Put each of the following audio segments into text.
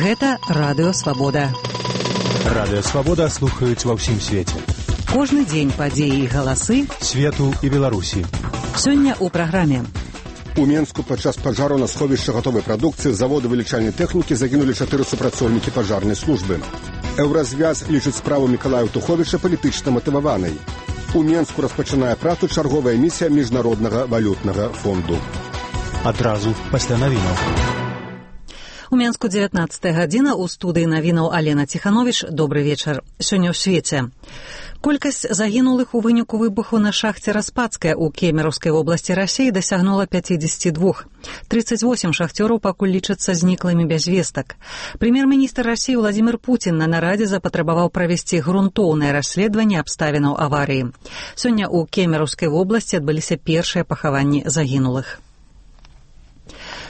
Гэта Радыё Свабода. Радыё Свабода слухаюць ва ўсім свеце. Кожны дзень падзеі і галасы свету і Беларусі. Сёння ў праграме. У Менску падчас пажару на сховішчы гатовай прадукцыі заводу вылічальнай тэхнікі загінулі 4 супрацоўнікі пажарнай службы. Еўразвяз лічыць справу Мікалая Туховіча палітычна матываванай. У Менску распачынае працу чарговая місія Міжнароднага валютнага фонду. Адразу пасля навінаў. У Менску 19 гадзіна, у студыі навінаў Алена Ціхановіч. Добры вечар. Сёння ў свеце. Колькасць загінулых у выніку выбуху на шахце Распадская ў Кемеровскай вобласці Расіі дасягнула 52. 38 шахцёраў пакуль лічацца зніклымі без вестак. Прэм'ер-міністр Расіі Владзімір Пуцін на нарадзе запатрабаваў правесці грунтоўнае расследаванне абставінаў аварыі. Сёння ў Кемеровскай вобласці адбыліся першыя пахаванні загінулых.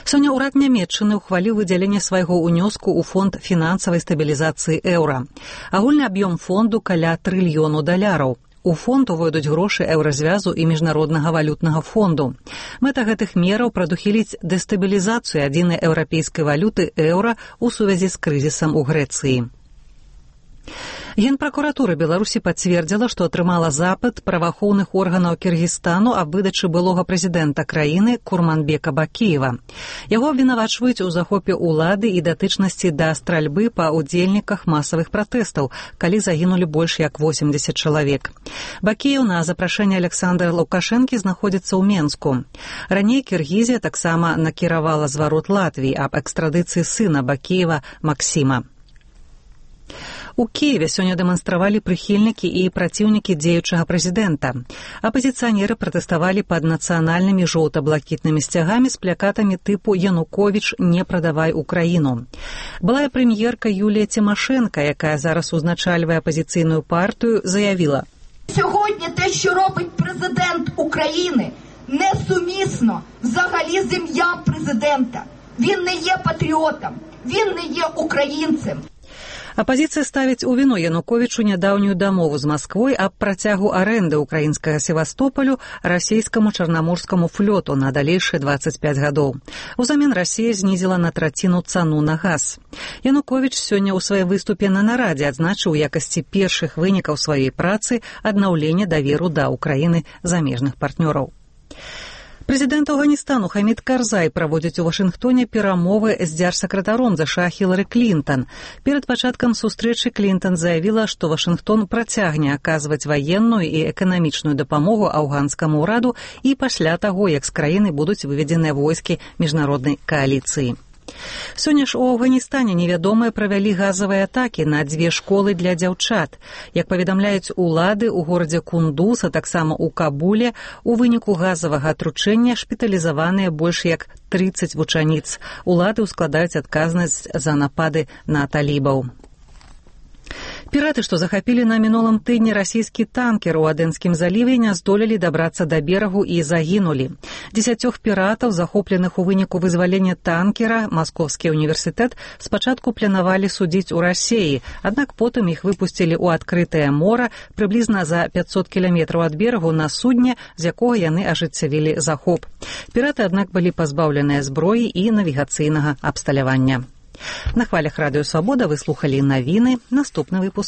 Сёння ўрад Нямецчыны ўхваліў выдзяленне свайго ўнёску ў фонд фінансавай стабілізацыі еўра. Агульны аб'ём фонду каля $1 трыльёна. У фонд увойдуць грошы еўразвязу і Міжнароднага валютнага фонду. Мэта гэтых мераў прадухіліць дэстабілізацыю адзінай еўрапейскай валюты еўра ў сувязі з крызісам у Грэцыі. Генпракуратура Беларусі пацвердзіла, што атрымала запыт праваахоўных органаў Кіргізстану аб выдачы былога прэзідэнта краіны Курманбека Бакіева. Яго абвінавачваюць у захопе ўлады і датычнасці да стральбы па ўдзельніках масавых пратэстаў, калі загінулі больш як 80 чалавек. Бакіеў на запрашэнне Александра Лукашэнкі знаходзіцца ў Менску. Раней Кіргізія таксама накіравала зварот Латвіі аб экстрадыцыі сына Бакіева Максіма. У Киеве сёння дэманстравалі прыхільнікі і праціўнікі дзеючага прэзідэнта. Апазіцыянеры пратэставалі пад нацыянальнымі жоўта-блакітнымі сцягамі з плакатамі тыпу «Януковіч, не прадавай Украіну». Былая прэм'ерка Юлія Тимошенко, якая зараз узначальвае апазіцыйную партію, заявіла: «Сьогодні те, що робить президент України, несумісно взагалі з ім'ям президента. Він не є патріотом, він не є українцем». Апазіцыя ставіць у віну Януковічу нядаўнюю дамову з Масквой аб працягу арэнды ўкраінскага Севастополю расійскаму чарнаморскаму флоту на далейшыя 25 гадоў. Узамен Расія знізіла на траціну цану на газ. Януковіч сёння ў сваім выступе на нарадзе адзначыў у якасці першых вынікаў сваёй працы аднаўленне даверу да Украіны замежных партнёраў. Прэзідэнт Афганістану Хамід Карзай праводзіць у Вашынгтоне перамовы з дзяржсакратаром ЗША Хілары Клінтан. Перад пачаткам сустрэчы Клінтан заявіла, што Вашынгтон працягне аказваць ваенную і эканамічную дапамогу афганскаму ўраду і пасля таго, як з краіны будуць выведзеныя войскі міжнароднай кааліцыі. Сёння ж у Афганістане невядомыя правялі газавыя атакі на 2 школы для дзяўчат. Як паведамляюць улады, у горадзе Кундуз, а таксама ў Кабуле, у выніку газавага атручэння шпіталізаваныя больш як 30 вучаніц. Улады ўскладаюць адказнасць за напады на талібаў. Піраты, што захапілі на мінулым тыдні расійскі танкер у Адэнскім заліве, не здолелі дабрацца да берагу і загінулі. 10 піратаў, захопленых у выніку вызвалення танкера, Маскоўскі універсітэт спачатку планавалі судзіць у Расіі, аднак потым іх выпусцілі ў адкрытае мора прыблізна за 500 кіламетраў ад берагу на судне, з якога яны ажыццявілі захоп. Піраты, аднак, былі пазбаўленыя зброі і навігацыйнага абсталявання. На хвалях Радыё Свабода вы слухалі навіны. Наступны выпуск